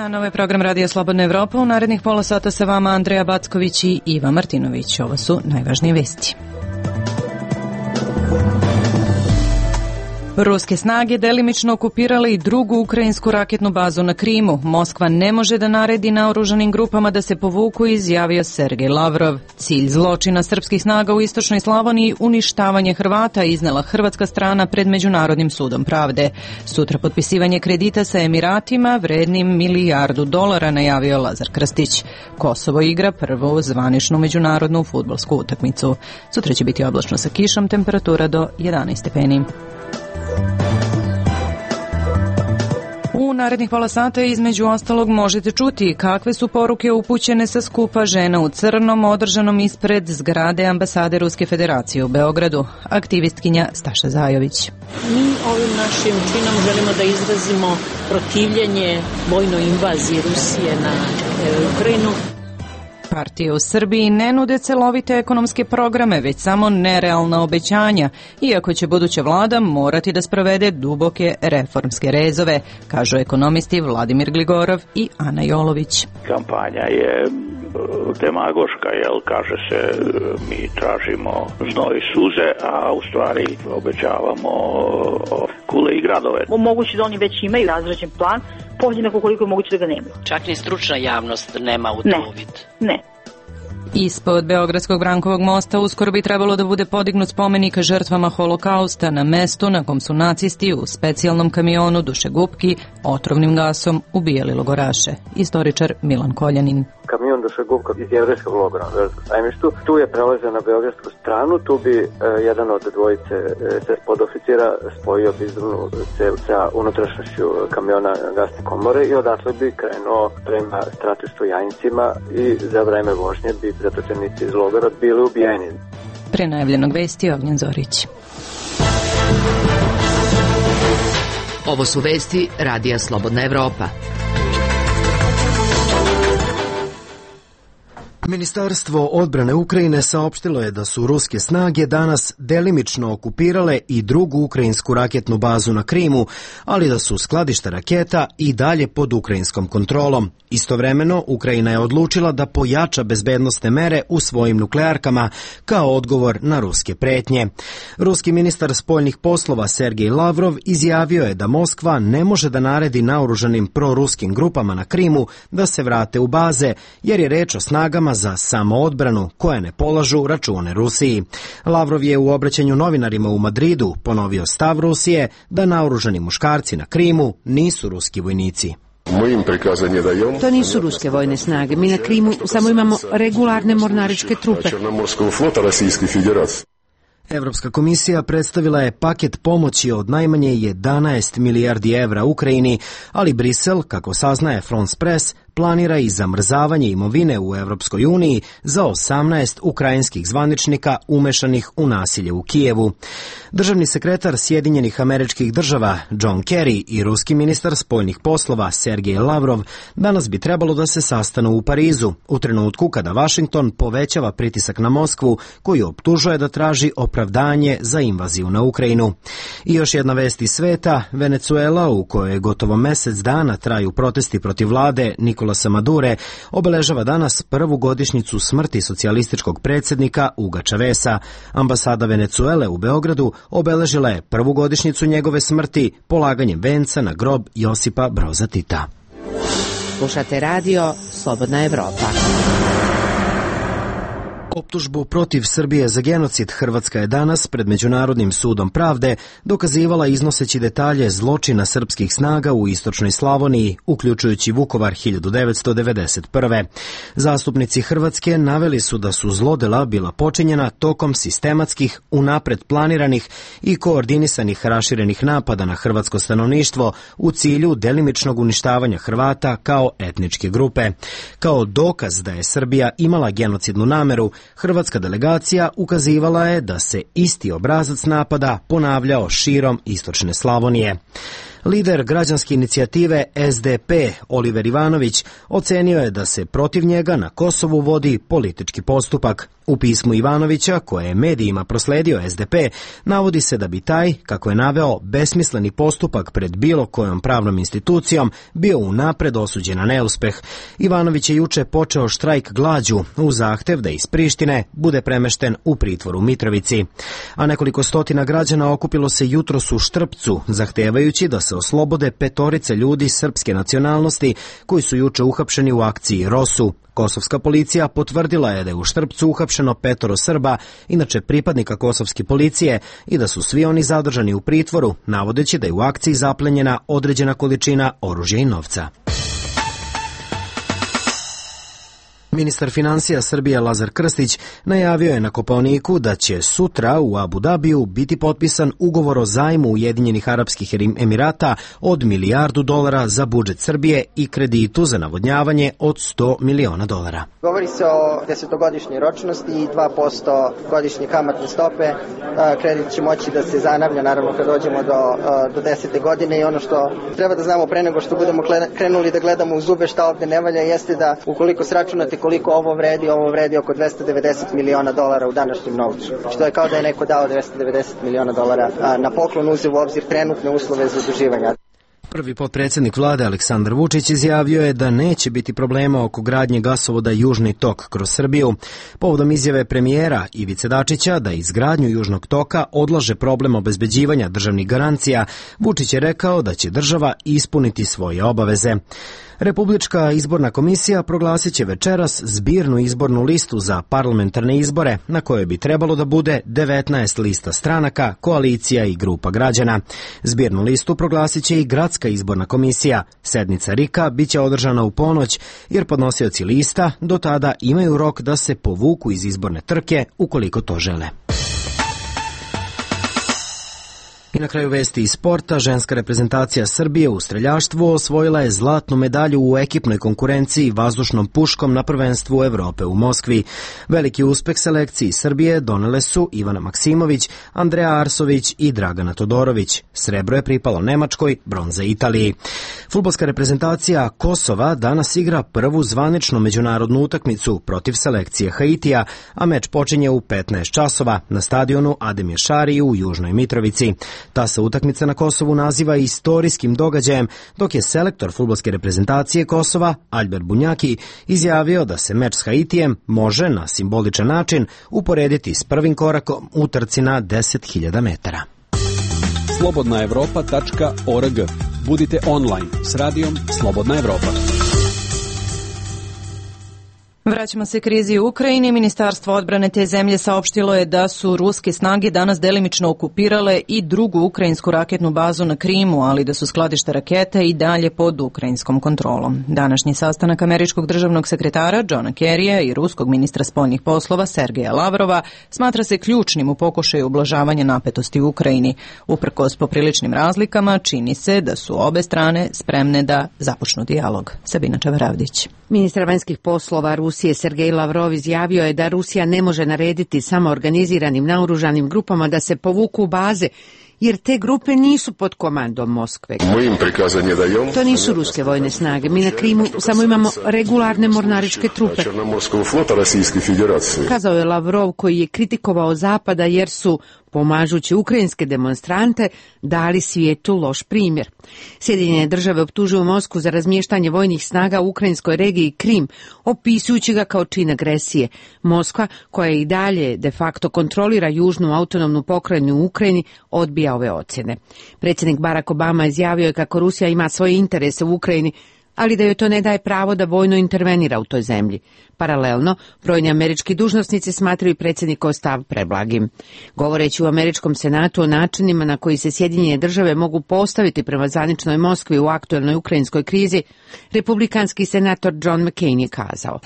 Novi program Radija Slobodna Evropa. U narednih pola sata sa vama Andreja Backović i Iva Martinović. Ovo su najvažnije vesti. Ruske snage delimično okupirale i drugu ukrajinsku raketnu bazu na Krimu. Moskva ne može da naredi naoružanim grupama da se povuku, izjavio Sergej Lavrov. Cilj zločina srpskih snaga u istočnoj Slavoniji uništavanje Hrvata, iznela hrvatska strana pred Međunarodnim sudom pravde. Sutra potpisivanje kredita sa Emiratima vrednim $1 milijardu, najavio Lazar Krstić. Kosovo igra prvu zvaničnu međunarodnu fudbalsku utakmicu. Sutra će biti oblačno sa kišom, temperatura do 11 stepeni. U narednih pola sata između ostalog možete čuti kakve su poruke upućene sa skupa žena u crnom održanom ispred zgrade ambasade Ruske federacije u Beogradu. Aktivistkinja Staša Zajović. Mi ovim našim činom želimo da izrazimo protivljenje vojnoj invaziji Rusije na Ukrajinu. Partije u Srbiji ne nude celovite ekonomske programe, već samo nerealna obećanja, iako će buduća vlada morati da sprovede duboke reformske rezove, kažu ekonomisti Vladimir Gligorov i Ana Jolović. Kampanja je demagoška, kaže se mi tražimo znoj i suze, a u stvari obećavamo kule i gradove. Moguće da oni već imaju razrađen plan, podjednako koliko je moguće da ga nemaju. Čak ni stručna javnost nema u to uvid. Ne. Ispod Beogradskog Brankovog mosta uskoro bi trebalo da bude podignut spomenik žrtvama holokausta na mestu na kom su nacisti u specijalnom kamionu dušegupki otrovnim gasom ubijali logoraše. Istoričar Milan Koljanin. Kamion dušegupka iz jevrejskog logora na Beogradskom sajmištu. Tu je prelazio na beogradsku stranu, tu bi jedan od dvojice podoficira spojio bizdovnu cev sa unutrašnjošću kamiona gasne komore i odatle bi krenuo prema stratištu Jajincima i za vreme vožnje bi zatočenici iz logora bili ubijeni. Pre najavljenog vesti Ognjen Zorić. Ovo su vesti Radija Slobodna Evropa. Ministarstvo odbrane Ukrajine saopštilo je da su ruske snage danas delimično okupirale i drugu ukrajinsku raketnu bazu na Krimu, ali da su skladišta raketa i dalje pod ukrajinskom kontrolom. Istovremeno, Ukrajina je odlučila da pojača bezbednosne mere u svojim nuklearkama kao odgovor na ruske pretnje. Ruski ministar spoljnih poslova Sergej Lavrov izjavio je da Moskva ne može da naredi naoružanim proruskim grupama na Krimu da se vrate u baze, jer je reč o snagama za samoodbranu koje ne polažu račune Rusiji. Lavrov je u obraćanju novinarima u Madridu ponovio stav Rusije da naoružani muškarci na Krimu nisu ruski vojnici. To nisu ruske vojne snage. Mi na Krimu samo imamo regularne mornaričke trupe. Evropska komisija predstavila je paket pomoći od najmanje 11 milijardi evra Ukrajini, ali Brisel, kako saznaje France Press, planira i zamrzavanje imovine u Evropskoj uniji za 18 ukrajinskih zvaničnika umešanih u nasilje u Kijevu. Državni sekretar Sjedinjenih Američkih Država John Kerry i ruski ministar spoljnih poslova Sergej Lavrov danas bi trebalo da se sastanu u Parizu, u trenutku kada Vašington povećava pritisak na Moskvu, koju optužuje da traži opravdanje za invaziju na Ukrajinu. I još jedna vest iz sveta, Venecuela, u kojoj gotovo mesec dana traju protesti protiv vlade Nikolasa Madure, obeležava danas prvu godišnjicu smrti socijalističkog predsjednika Huga Chaveza. Ambasada Venecuele u Beogradu obeležila je prvu godišnjicu njegove smrti polaganjem venca na grob Josipa Broza Tita. Slušate radio Slobodna Evropa. Optužbu protiv Srbije za genocid Hrvatska je danas pred Međunarodnim sudom pravde dokazivala iznoseći detalje zločina srpskih snaga u istočnoj Slavoniji, uključujući Vukovar 1991. Zastupnici Hrvatske naveli su da su zlodela bila počinjena tokom sistematskih, unapred planiranih i koordinisanih raširenih napada na hrvatsko stanovništvo u cilju delimičnog uništavanja Hrvata kao etničke grupe. Kao dokaz da je Srbija imala genocidnu nameru, hrvatska delegacija ukazivala je da se isti obrazac napada ponavljao širom istočne Slavonije. Lider građanske inicijative SDP, Oliver Ivanović, ocenio je da se protiv njega na Kosovu vodi politički postupak. U pismu Ivanovića, koje je medijima prosledio SDP, navodi se da bi taj, kako je naveo, besmisleni postupak pred bilo kojom pravnom institucijom bio unapred osuđen na neuspeh. Ivanović je juče počeo štrajk glađu u zahtev da iz Prištine bude premešten u pritvor u Mitrovici. A nekoliko stotina građana okupilo se jutros u Štrpcu, zahtevajući da se oslobode 5 ljudi srpske nacionalnosti koji su juče uhapšeni u akciji Rosu. Kosovska policija potvrdila je da je u Štrpcu uhapšeno 5 Srba, inače pripadnika kosovske policije, i da su svi oni zadržani u pritvoru, navodeći da je u akciji zaplenjena određena količina oružja i novca. Ministar financija Srbije Lazar Krstić najavio je na Kopaoniku da će sutra u Abu Dabiju biti potpisan ugovor o zajmu Ujedinjenih Arapskih Emirata od $1 milijardu za budžet Srbije i kreditu za navodnjavanje od $100 miliona. Govori se o 10-godišnjoj ročnosti i 2% godišnje kamatne stope. Kredit će moći da se zanavlja naravno kad dođemo do 10. godine i ono što treba da znamo pre nego što budemo krenuli da gledamo u zube šta ovde ne valja jeste da ukoliko sračunate koliko ovo vredi oko $290 miliona u današnjem novcu. Što je kao da je neko dao $290 miliona na poklon, uzeo u obzir trenutne uslove za zaduživanje. Prvi potpredsjednik vlade Aleksandar Vučić izjavio je da neće biti problema oko gradnje gasovoda Južni tok kroz Srbiju. Povodom izjave premijera Ivice Dačića da izgradnju Južnog toka odlaže problem obezbeđivanja državnih garancija, Vučić je rekao da će država ispuniti svoje obaveze. Republička izborna komisija proglasit će večeras zbirnu izbornu listu za parlamentarne izbore, na kojoj bi trebalo da bude 19 lista stranaka, koalicija i grupa građana. Zbirnu listu proglasit će i gradska izborna komisija. Sednica RIK-a biće održana u ponoć, jer podnosioci lista do tada imaju rok da se povuku iz izborne trke ukoliko to žele. I na kraju vesti iz sporta, ženska reprezentacija Srbije u streljaštvu osvojila je zlatnu medalju u ekipnoj konkurenciji vazdušnom puškom na prvenstvu Evrope u Moskvi. Veliki uspeh selekciji Srbije donele su Ivana Maksimović, Andreja Arsović i Dragana Todorović. Srebro je pripalo Nemačkoj, bronza Italiji. Fudbalska reprezentacija Kosova danas igra prvu zvaničnu međunarodnu utakmicu protiv selekcije Haitija, a meč počinje u 15 časova na stadionu Ademir Šari u Južnoj Mitrovici. Ta se utakmica na Kosovu naziva istorijskim događajem, dok je selektor fudbalske reprezentacije Kosova, Albert Bunjaki, izjavio da se meč s Haitijem može na simboličan način uporediti s prvim korakom u trci na 10.000 metara. slobodnaevropa.org. Budite online s radijom Slobodna Evropa. Vraćamo se krizi u Ukrajini. Ministarstvo odbrane te zemlje saopštilo je da su ruske snage danas delimično okupirale i drugu ukrajinsku raketnu bazu na Krimu, ali da su skladišta raketa i dalje pod ukrajinskom kontrolom. Današnji sastanak američkog državnog sekretara Johna Kerrya i ruskog ministra spoljnih poslova Sergeja Lavrova smatra se ključnim u pokušaju ublažavanja napetosti u Ukrajini. Uprkos popriličnim razlikama, čini se da su obe strane spremne da započnu dijalog. Sabina Čavaravdić. Ministar vanjskih poslova Rusije Sergej Lavrov izjavio je da Rusija ne može narediti samo organiziranim naoružanim grupama da se povuku u baze, jer te grupe nisu pod komandom Moskve. To nisu ruske vojne snage. Mi na Krimu samo imamo regularne mornaričke trupe. Kazao je Lavrov, koji je kritikovao Zapada jer su, pomažući ukrajinske demonstrante, dali svijetu loš primjer. Sjedinjene države optužuju Moskvu za razmještanje vojnih snaga u ukrajinskoj regiji Krim, opisujući ga kao čin agresije. Moskva, koja i dalje de facto kontrolira južnu autonomnu pokrajinu u Ukrajini, odbija ove ocjene. Predsjednik Barack Obama izjavio je kako Rusija ima svoje interese u Ukrajini, ali da joj to ne daje pravo da vojno intervenira u toj zemlji. Paralelno, brojni američki dužnosnici smatraju predsjednikov stav preblagim. Govoreći u američkom senatu o načinima na koji se Sjedinjene države mogu postaviti prema zvaničnoj Moskvi u aktuelnoj ukrajinskoj krizi, republikanski senator John McCain je kazao: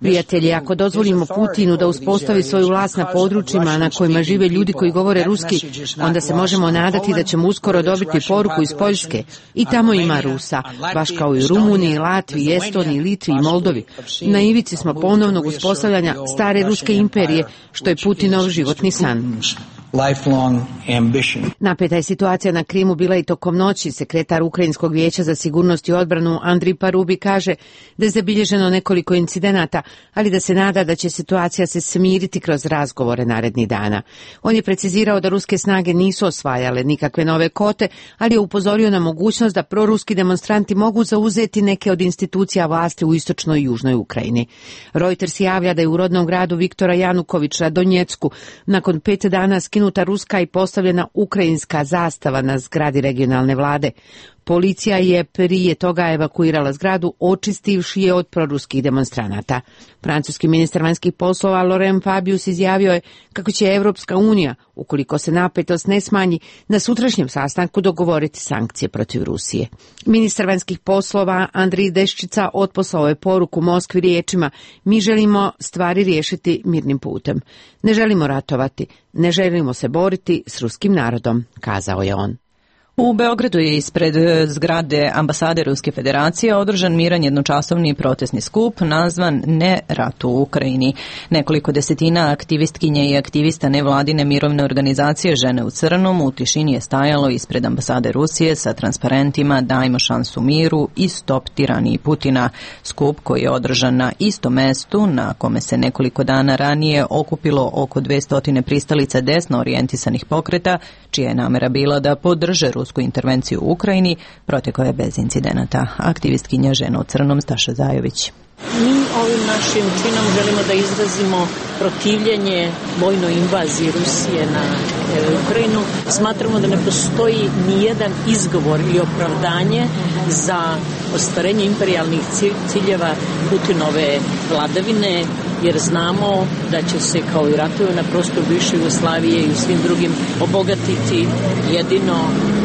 Prijatelji, ako dozvolimo Putinu da uspostavi svoju vlast na područjima na kojima žive ljudi koji govore ruski, onda se možemo nadati da ćemo uskoro dobiti poruku iz Poljske. I tamo ima Rusa, baš kao i u Rumuniji, Latviji, Estoniji, Litvi i Moldovi. Na ivici smo ponovnog uspostavljanja stare ruske imperije, što je Putinov životni san. lifelong ambition. Napeta je situacija na Krimu bila i tokom noći. Sekretar Ukrajinskog vijeća za sigurnost i odbranu Andrij Parubi kaže da je zabilježeno nekoliko incidenata, ali da se nada da će situacija se smiriti kroz razgovore narednih dana. On je precizirao da ruske snage nisu osvajale nikakve nove kote, ali je upozorio na mogućnost da proruski demonstranti mogu zauzeti neke od institucija vlasti u istočnoj i južnoj Ukrajini. Reuters javlja da je u rodnom gradu Viktora Janukovića, Donjecku, nakon 5 dana skinuta ruska i postavljena ukrajinska zastava na zgradi regionalne vlade. Policija je prije toga evakuirala zgradu, očistivši je od proruskih demonstranata. Francuski ministar vanjskih poslova Laurent Fabius izjavio je kako će Evropska unija, ukoliko se napetost ne smanji, na sutrašnjem sastanku dogovoriti sankcije protiv Rusije. Ministar vanjskih poslova Andrij Deščica otposlao je poruku Moskvi riječima: mi želimo stvari riješiti mirnim putem. Ne želimo ratovati, ne želimo se boriti s ruskim narodom, kazao je on. U Beogradu je ispred zgrade ambasade Ruske federacije održan miran jednočasovni protestni skup nazvan Ne ratu u Ukrajini. Nekoliko desetina aktivistkinja i aktivista nevladine mirovne organizacije Žene u crnom u tišini je stajalo ispred ambasade Rusije sa transparentima Dajmo šansu miru i Stop tiraniji Putina. Skup koji je održan na istom mestu na kome se nekoliko dana ranije okupilo oko 200 pristalica desno orijentisanih pokreta, čija je namera bila da podrže rusku intervenciju u Ukrajini, protekao je bez incidenata. Aktivistkinja Žena u crnom Staša Zajović. Mi ovim našim činom želimo da izrazimo protivljenje vojnoj invaziji Rusije na Ukrajinu. Smatramo da ne postoji nijedan izgovor ili opravdanje za ostvarenje imperijalnih ciljeva Putinove vladavine, jer znamo da će se, kao i ratovi na prostoru bivše Jugoslavije i u svim drugim, obogatiti jedino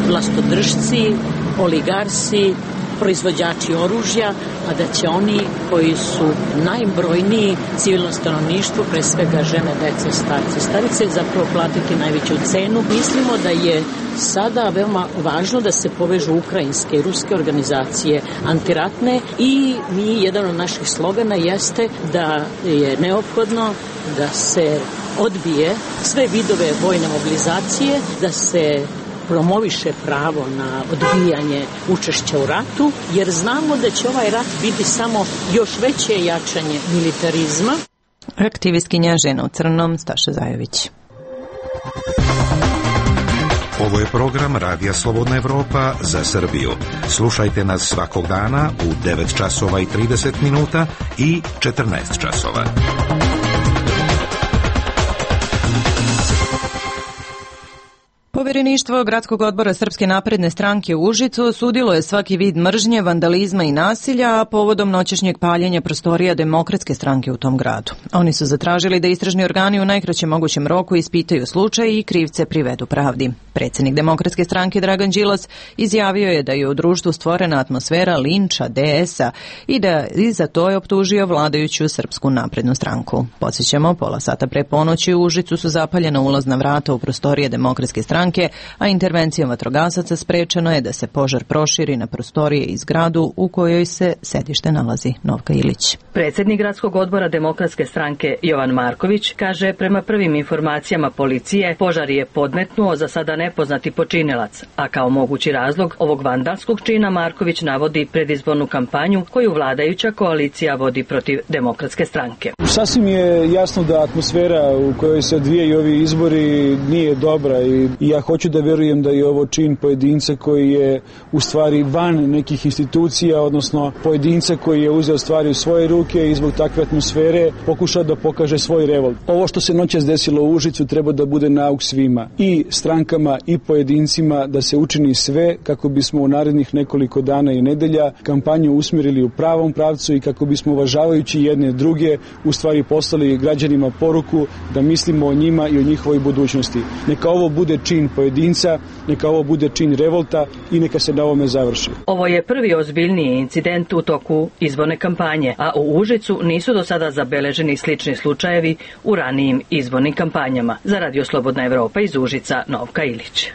vlastodržci, oligarsi, proizvođači oružja, a da će oni koji su najbrojniji, civilno stanovništvo, pre svega žene, dece, starci, starice, zapravo platiti najveću cenu. Mislimo da je sada veoma važno da se povežu ukrajinske i ruske organizacije antiratne i jedan od naših slogana jeste da je neophodno da se odbije sve vidove vojne mobilizacije, da se promoviše pravo na odbijanje učešća u ratu, jer znamo da će ovaj rat biti samo još veće jačanje militarizma. Aktivistkinja Žena u crnom Staša Zajović. Ovo je program Radija Slobodna Evropa za Srbiju. Slušajte nas svakog dana u 9 časova i 30 minuta i 14 časova. Povjereništvo Gradskog odbora Srpske napredne stranke u Užicu osudilo je svaki vid mržnje, vandalizma i nasilja, a povodom noćešnjeg paljenja prostorija Demokratske stranke u tom gradu. Oni su zatražili da istražni organi u najkraćem mogućem roku ispitaju slučaj i krivce privedu pravdi. Predsjednik Demokratske stranke Dragan Đilas izjavio je da je u društvu stvorena atmosfera linča DS-a i da za to je optužio vladajuću Srpsku naprednu stranku. Podsjećamo, pola sata pre ponoći u Užicu su zapaljena ulazna vrata u prostorije Demokratske stranke, a intervencijom vatrogasaca sprečeno je da se požar proširi na prostorije i zgradu u kojoj se sedište nalazi. Novka Ilić. Predsjednik Gradskog odbora Demokratske stranke Jovan Marković kaže, prema prvim informacijama policije, požar je podmetnuo za sada nepoznati počinilac, a kao mogući razlog ovog vandalskog čina Marković navodi predizbornu kampanju koju vladajuća koalicija vodi protiv Demokratske stranke. Sasvim je jasno da atmosfera u kojoj se odvijaju ovi izbori nije dobra i ja hoću da verujem da je ovo čin pojedinca koji je u stvari van nekih institucija, odnosno pojedinca koji je uzeo stvari u svoje ruke i zbog takve atmosfere pokušao da pokaže svoj revolt. Ovo što se noćas desilo u Užicu treba da bude nauk svima, i strankama i pojedincima, da se učini sve kako bismo u narednih nekoliko dana i nedelja kampanju usmjerili u pravom pravcu i kako bismo uvažavajući jedne druge u stvari poslali građanima poruku da mislimo o njima i o njihovoj budućnosti. Neka ovo bude čin pojedinca, neka ovo bude čin revolta i neka se na ovome završi. Ovo je prvi ozbiljniji incident u toku izborne kampanje, a u Užicu nisu do sada zabeleženi slični slučajevi u ranijim izbornim kampanjama. Za Radio Slobodna Evropa iz Užica, Novka Ilić.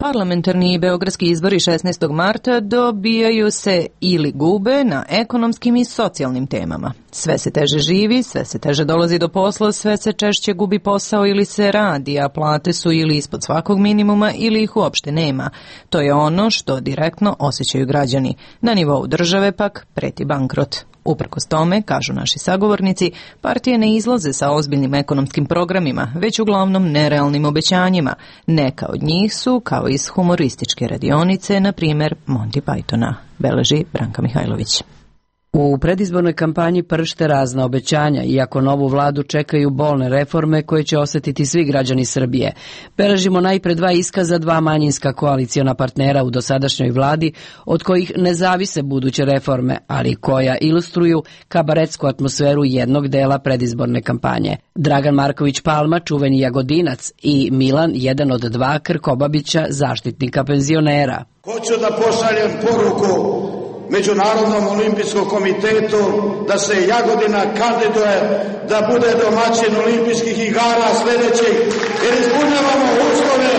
Parlamentarni i beogradski izbori 16. marta dobijaju se ili gube na ekonomskim i socijalnim temama. Sve se teže živi, sve se teže dolazi do posla, sve se češće gubi posao ili se radi, a plate su ili ispod svakog minimuma ili ih uopšte nema. To je ono što direktno osjećaju građani. Na nivou države pak preti bankrot. Uprkos tome, kažu naši sagovornici, partije ne izlaze sa ozbiljnim ekonomskim programima, već uglavnom nerealnim obećanjima. Neka od njih su, kao iz humorističke radionice, na primjer Monty Pythona, beleži Branka Mihajlović. U predizbornoj kampanji pršte razna obećanja, iako novu vladu čekaju bolne reforme koje će osjetiti svi građani Srbije. Beležimo najpre dva iskaza dva manjinska koaliciona partnera u dosadašnjoj vladi, od kojih ne zavise buduće reforme, ali koja ilustruju kabaretsku atmosferu jednog dela predizborne kampanje. Dragan Marković Palma, čuveni Jagodinac, i Milan, jedan od dva Krkobabića, zaštitnika penzionera. Hoću da pošaljem poruku Međunarodnom olimpijskom komitetu da se Jagodina kandiduje da bude domaćin olimpijskih igara sljedećih, jer ispunjavamo uslove.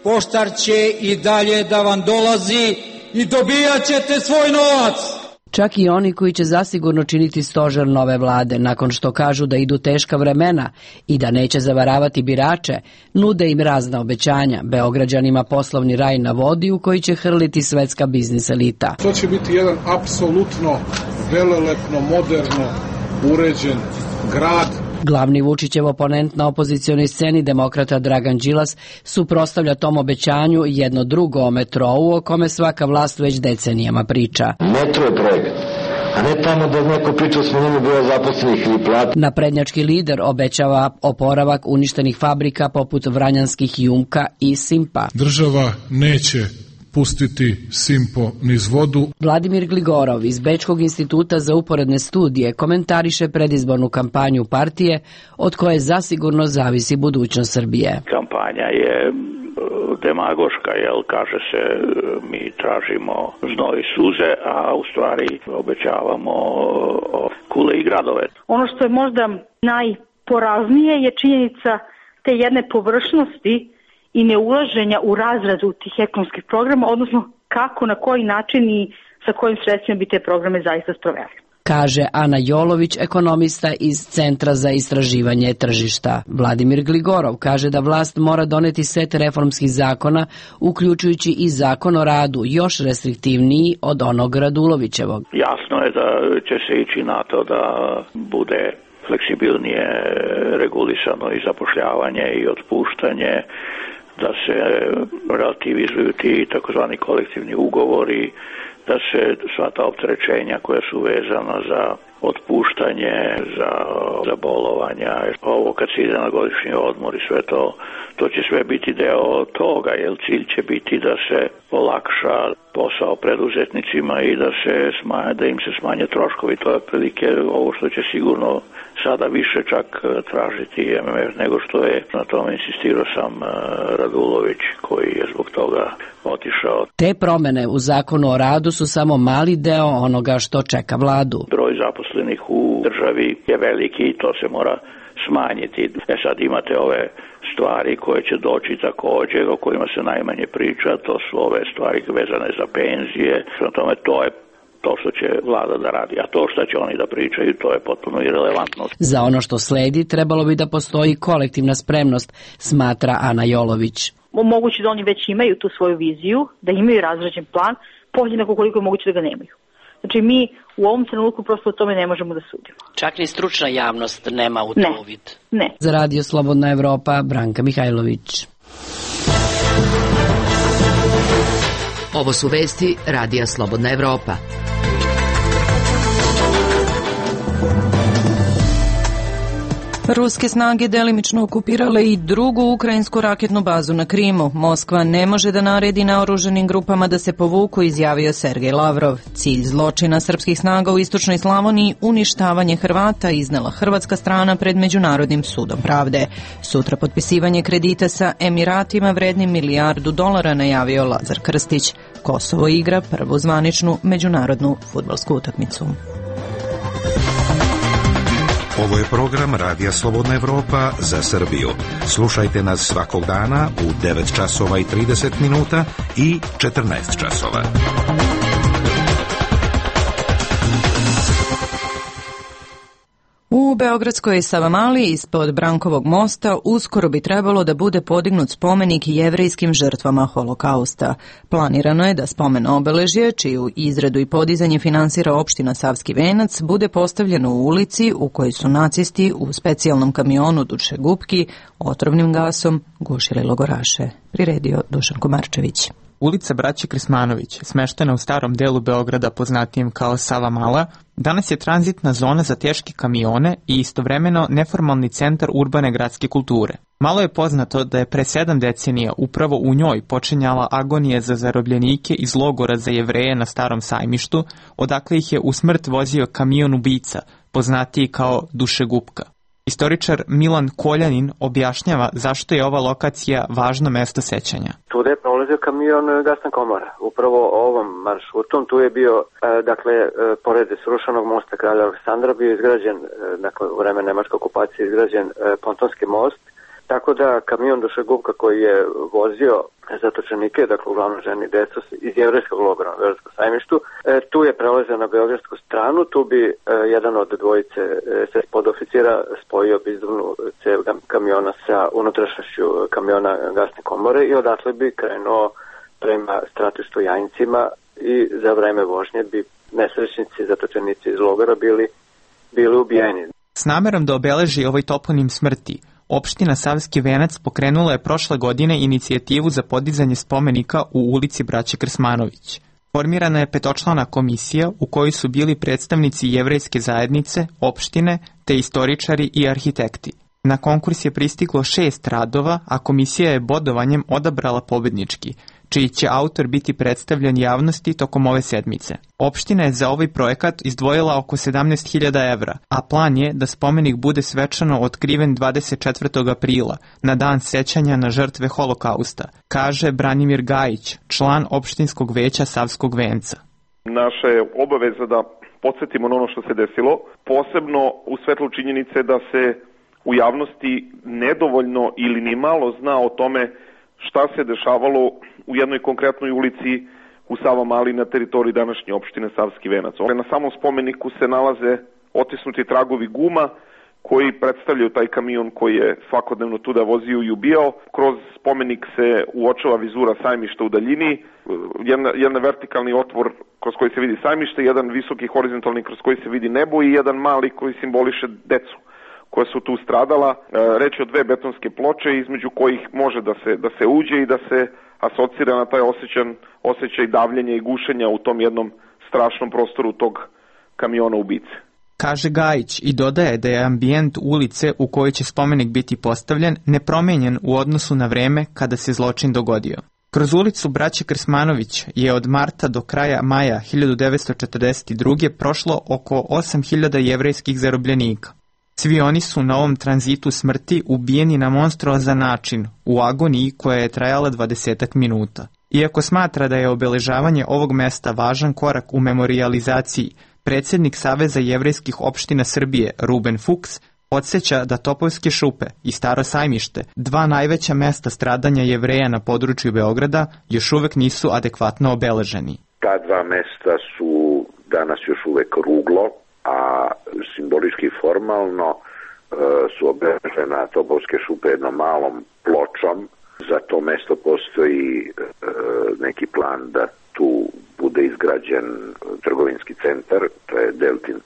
Poštar će i dalje da vam dolazi i dobijat ćete svoj novac. Čak i oni koji će zasigurno činiti stožer nove vlade, nakon što kažu da idu teška vremena i da neće zavaravati birače, nude im razna obećanja, Beograđanima poslovni raj na vodi u koji će hrliti svetska biznis elita. To će biti jedan apsolutno velelepno, moderno uređen grad. Glavni Vučićev oponent na opozicionoj sceni, demokrata Dragan Đilas, suprotstavlja tom obećanju jedno drugo o metrou o kome svaka vlast već decenijama priča. Metro je projekt, a ne tamo da neko priča o smanjenju broja zaposlenih ili plata. Naprednjački lider obećava oporavak uništenih fabrika poput Vranjanskih Jumka i Simpa. Država neće pustiti Simpo niz vodu. Vladimir Gligorov iz Bečkog instituta za uporedne studije komentariše predizbornu kampanju partije od koje zasigurno zavisi budućnost Srbije. Kampanja je demagoška, kaže se mi tražimo znoj i suze, a u stvari obećavamo kule i gradove. Ono što je možda najporaznije je činjenica te jedne površnosti i neulaženja u razradu tih ekonomskih programa, odnosno kako, na koji način i sa kojim sredstvima bi te programe zaista sproveli. Kaže Ana Jolović, ekonomista iz Centra za istraživanje tržišta. Vladimir Gligorov kaže da vlast mora doneti set reformskih zakona, uključujući i zakon o radu, još restriktivniji od onog Radulovićevog. Jasno je da će se ići na to da bude fleksibilnije regulisano i zapošljavanje i otpuštanje, da se relativizuju ti takozvani kolektivni ugovori, da se sva ta opterećenja koja su vezana za otpuštanje, za bolovanja, ovo kad se ide na godišnji odmor i sve to će sve biti deo toga, jer cilj će biti da se olakša posao preduzetnicima i da im se smanje troškovi. To je otprilike ovo što će sigurno sada više čak tražiti MMF nego što je. Na tome insistirao sam Radulović koji je zbog toga otišao. Te promene u zakonu o radu su samo mali deo onoga što čeka vladu. Broj zaposlenih u državi je veliki i to se mora smanjiti. Sad imate ove stvari koje će doći također, o kojima se najmanje priča, to su ove stvari vezane za penzije. Prema tome, to je to što će vlada da radi, a to što će oni da pričaju, to je potpuno irelevantno. Za ono što sledi trebalo bi da postoji kolektivna spremnost, smatra Ana Jolović. Moguće da oni već imaju tu svoju viziju, da imaju razrađen plan, podjednako koliko je moguće da ga nemaju. Znači mi u ovom trenutku prosto o tome ne možemo da sudimo. Čak ni stručna javnost nema u to uvid. Ne. Za Radio Slobodna Evropa, Branka Mihajlović. Ovo su vesti Radija Slobodna Evropa. Ruske snage delimično okupirale i drugu ukrajinsku raketnu bazu na Krimu. Moskva ne može da naredi naoružanim grupama da se povuku, izjavio Sergej Lavrov. Cilj zločina srpskih snaga u istočnoj Slavoniji uništavanje Hrvata iznela hrvatska strana pred Međunarodnim sudom pravde. Sutra potpisivanje kredita sa Emiratima vrednim $1 milijardu, najavio Lazar Krstić. Kosovo igra prvu zvaničnu međunarodnu fudbalsku utakmicu. Ovo je program Radija Slobodna Evropa za Srbiju. Slušajte nas svakog dana u 9 časova i 30 minuta i 14 časova. U beogradskoj Savamali ispod Brankovog mosta uskoro bi trebalo da bude podignut spomenik jevrejskim žrtvama Holokausta. Planirano je da spomen obeležje, čiju izradu i podizanje finansira opština Savski Venac, bude postavljeno u ulici u kojoj su nacisti u specijalnom kamionu dušegupki otrovnim gasom gušili logoraše. Priredio Dušan Komarčević. Ulica Braće Krsmanović, smeštena u starom delu Beograda poznatijem kao Savamala, danas je tranzitna zona za teške kamione i istovremeno neformalni centar urbane gradske kulture. Malo je poznato da je pre 7 decenija upravo u njoj počinjala agonija za zarobljenike iz logora za Jevreje na Starom sajmištu, odakle ih je u smrt vozio kamion ubica, poznatiji kao dušegupka. Istoričar Milan Koljanin objašnjava zašto je ova lokacija važno mesto sećanja. Tu je prolazio kamion gasna komora. Upravo ovom maršrutom tu je bio, pored srušenog mosta Kralja Aleksandra bio izgrađen, u vreme nemačke okupacije izgrađen pontonski most, tako da kamion dušegupka koji je vozio zatočenike, uglavnom žene i decu iz jevrejskog logora na Beogradskom sajmištu, tu je prelazio na beogradsku stranu, tu bi jedan od dvojice SS podoficira spojio bizdovnu cev kamiona sa unutrašnjošću kamiona gasne komore i odatle bi krenuo prema stratištu Jajincima i za vreme vožnje bi nesrećnici, zatočenici iz logora bili ubijeni. S namerom da obeleži ovaj toponim smrti, opština Savski Venac pokrenula je prošle godine inicijativu za podizanje spomenika u ulici Braće Krsmanović. Formirana je 5-člana komisija u kojoj su bili predstavnici jevrejske zajednice, opštine, te istoričari i arhitekti. Na konkurs je pristiglo 6 radova, a komisija je bodovanjem odabrala pobednički, čiji će autor biti predstavljen javnosti tokom ove sedmice. Opština je za ovaj projekat izdvojila oko 17.000 evra, a plan je da spomenik bude svečano otkriven 24. aprila, na dan sećanja na žrtve Holokausta, kaže Branimir Gajić, član opštinskog veća Savskog Venca. Naša je obaveza da podsjetimo na ono što se desilo, posebno u svetlu činjenice da se u javnosti nedovoljno ili ni malo zna o tome šta se dešavalo u jednoj konkretnoj ulici u Savamali na teritoriji današnje opštine Savski Venac. Na samom spomeniku se nalaze otisnuti tragovi guma koji predstavljaju taj kamion koji je svakodnevno tuda vozio i ubijao. Kroz spomenik se uočava vizura sajmišta u daljini, jedan vertikalni otvor kroz koji se vidi sajmište, jedan visoki horizontalni kroz koji se vidi nebo i jedan mali koji simboliše decu koja su tu stradala. Reč je o 2 betonske ploče između kojih može da se uđe i da se asocira na taj osjećaj davljenja i gušenja u tom jednom strašnom prostoru tog kamiona ubice. Kaže Gajić i dodaje da je ambijent ulice u kojoj će spomenik biti postavljen nepromenjen u odnosu na vreme kada se zločin dogodio. Kroz ulicu Braće Krsmanović je od marta do kraja maja 1942. prošlo oko 8.000 jevrejskih zarobljenika. Svi oni su na ovom tranzitu smrti ubijeni na monstruozan način, u agoniji koja je trajala 20 minuta. Iako smatra da je obeležavanje ovog mesta važan korak u memorijalizaciji, predsjednik Saveza jevrejskih opština Srbije, Ruben Fuchs, podsjeća da Topovske šupe i Staro sajmište, 2 najveća mesta stradanja Jevreja na području Beograda, još uvek nisu adekvatno obeleženi. Ta 2 mesta su danas još uvek ruglo, a simbolički formalno su obeležena Topovske šupe jednom malom pločom. Za to mesto postoji neki plan da tu bude izgrađen trgovinski centar, to je Deltin,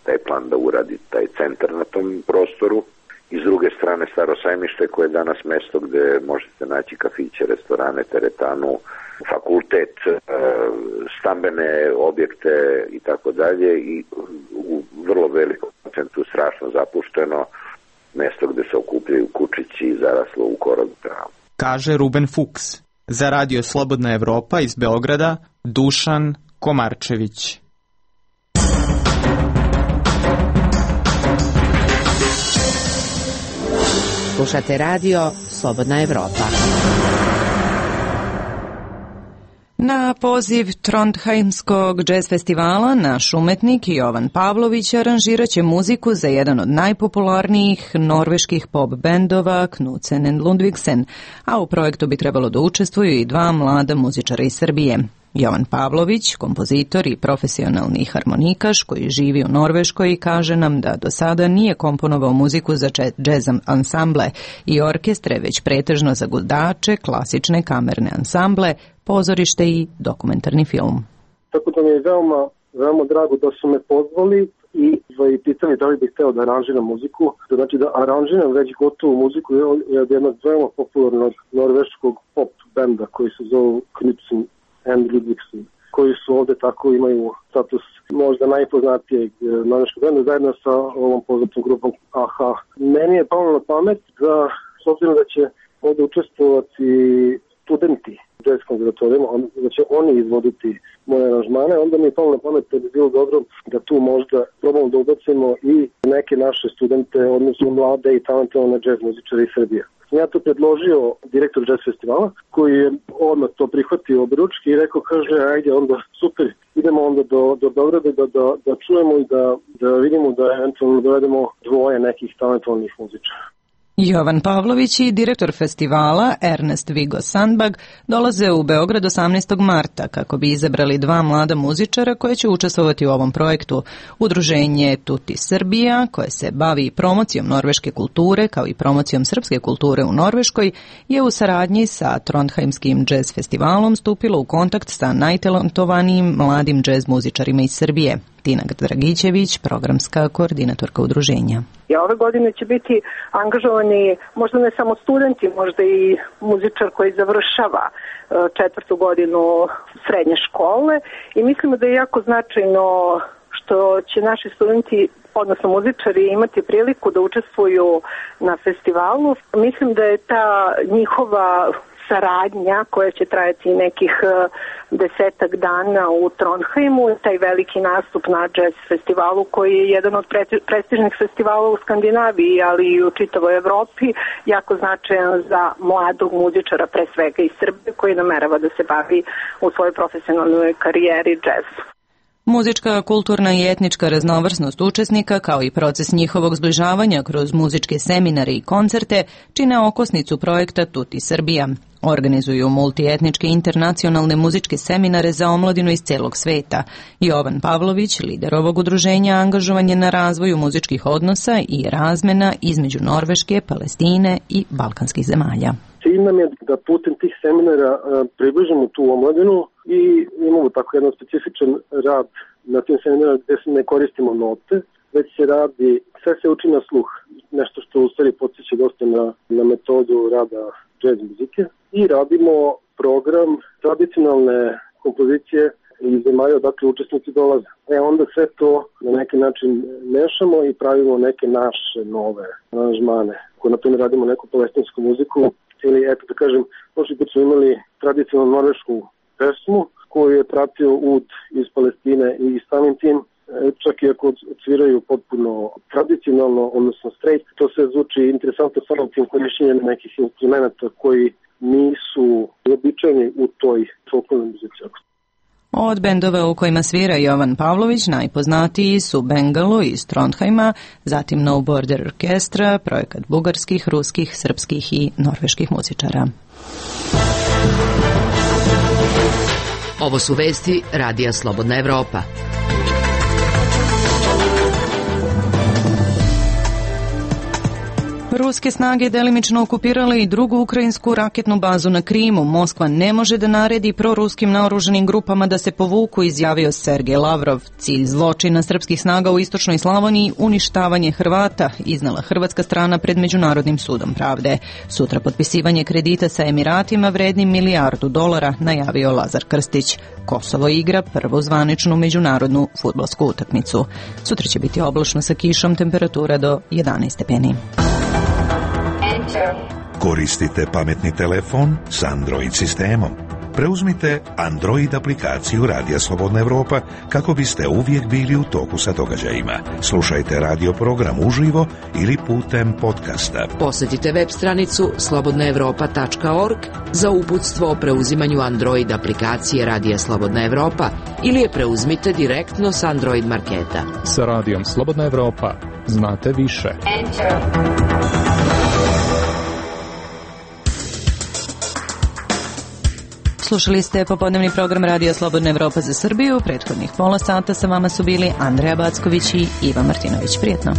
taj plan da uradi taj centar na tom prostoru. I s druge strane Staro sajmište koje je danas mesto gde možete naći kafiće, restorane, teretanu, fakultet, stambene objekte i tako dalje i u vrlo velikom procentu strašno zapušteno mesto gde se okupljaju kučići i zaraslo u korov travu. Kaže Ruben Fuchs. Za Radio Slobodna Evropa iz Beograda, Dušan Komarčević. Slušate radio Slobodna Evropa. Na poziv Trondheimskog džez festivala naš umetnik Jovan Pavlović aranžirat će muziku za jedan od najpopularnijih norveških pop bendova Knudsen and Ludvigsen, a u projektu bi trebalo da učestvuju i dva mlada muzičara iz Srbije. Jovan Pavlović, kompozitor i profesionalni harmonikaš koji živi u Norveškoj, kaže nam da do sada nije komponovao muziku za džez ansamble i orkestre, već pretežno za gudače, klasične kamerne ansamble, pozorište i dokumentarni film. Tako da mi je veoma drago da su me pozvali i pitali da li bih hteo da aranžiram muziku. Znači da aranžiram već gotovu muziku od jednog veoma popularnog norveškog pop benda koji se zove Knudsen and Ludvigsen, koji su ovde tako imaju status možda najpoznatijeg norveškog benda zajedno sa ovom poznatom grupom AHA. Meni je palo na pamet da, s obzirom da će ovde učestvovati studenti džez konzervatorijama, da će oni izvoditi moje aranžmane, onda mi je palo na pamet da bi bilo dobro da tu možda probamo da ubacimo i neke naše studente, odnosno mlade i talentovane džez muzičare iz Srbije. Ja to predložio direktor džez festivala, koji je odmah to prihvatio obručki i rekao, kaže, ajde onda super, idemo onda do Beograda da čujemo i da vidimo da eventualno dovedemo dvoje nekih talentovanih muzičara. Jovan Pavlović i direktor festivala Ernest Viggo Sandbag dolaze u Beograd 18. marta kako bi izabrali dva mlada muzičara koje će učestvovati u ovom projektu. Udruženje Tuti Srbija, koje se bavi promocijom norveške kulture kao i promocijom srpske kulture u Norveškoj, je u saradnji sa Trondheimskim džez festivalom stupilo u kontakt sa najtalentovanijim mladim džez muzičarima iz Srbije. Tina Dragićević, programska koordinatorka udruženja. Ove godine će biti angažovani možda ne samo studenti, možda i muzičar koji završava četvrtu godinu srednje škole i mislimo da je jako značajno što će naši studenti, odnosno muzičari, imati priliku da učestvuju na festivalu. Mislim da je ta njihova saradnja koja će trajati nekih 10 dana u Trondheimu, taj veliki nastup na džez festivalu koji je jedan od prestižnih festivala u Skandinaviji, ali i u čitavoj Evropi, jako značajan za mladog muzičara, pre svega iz Srbije, koji namerava da se bavi u svojoj profesionalnoj karijeri džezom. Muzička, kulturna i etnička raznovrsnost učesnika, kao i proces njihovog zbližavanja kroz muzičke seminare i koncerte, čine okosnicu projekta Tuti Srbija. Organizuju multietničke internacionalne muzičke seminare za omladinu iz celog sveta. Jovan Pavlović, lider ovog udruženja, angažovan je na razvoju muzičkih odnosa i razmena između Norveške, Palestine i balkanskih zemalja. Cilj nam je da putem tih seminara približimo tu omladinu i imamo tako jedan specifičan rad na tim seminarima gde se ne koristimo note, već se radi, sve se uči na sluh, nešto što u stvari podsjeća dosta na metodu rada džez muzike i radimo program tradicionalne kompozicije iz zemalja odakle učesnici dolaze. Onda sve to na neki način mešamo i pravimo neke naše nove aranžmane. Ako na primjer radimo neku palestinsku muziku, ili eto da kažem, prošli put smo imali tradicionalnu norvešku pesmu koju je pratio ud iz Palestine i samim tim, čak i ako odsviraju potpuno tradicionalno, odnosno straight, to se zvuči interesantno samim tim korišćenjem nekih instrumenta koji nisu običajni u toj folklornoj muzici. Od bendova u kojima svira Jovan Pavlović najpoznatiji su Bengalo iz Trondheima, zatim No Border Orkestra, projekat bugarskih, ruskih, srpskih i norveških muzičara. Ovo su vesti Radija Slobodna Evropa. Ruske snage delimično okupirale i drugu ukrajinsku raketnu bazu na Krimu. Moskva ne može da naredi proruskim naoružanim grupama da se povuku, izjavio Sergej Lavrov. Cilj zločina srpskih snaga u istočnoj Slavoniji uništavanje Hrvata, iznala hrvatska strana pred Međunarodnim sudom pravde. Sutra potpisivanje kredita sa Emiratima vrednim $1 milijardu, najavio Lazar Krstić. Kosovo igra prvu zvaničnu međunarodnu fudbalsku utakmicu. Sutra će biti oblačno sa kišom, temperatura do 11 stepeni. Koristite pametni telefon s Android sistemom. preuzmite Android aplikaciju Radija Slobodna Evropa kako biste uvijek bili u toku sa događajima. Slušajte radio program uživo ili putem podcasta. Posjetite web stranicu slobodnaevropa.org za uputstvo o preuzimanju Android aplikacije Radija Slobodna Evropa ili je preuzmite direktno s Android marketa. Sa Radijom Slobodna Evropa znate više. Slušali ste popodnevni program Radija Slobodna Evropa za Srbiju. Prethodnih pola sata sa vama su bili Andreja Backović i Iva Martinović. Prijetno.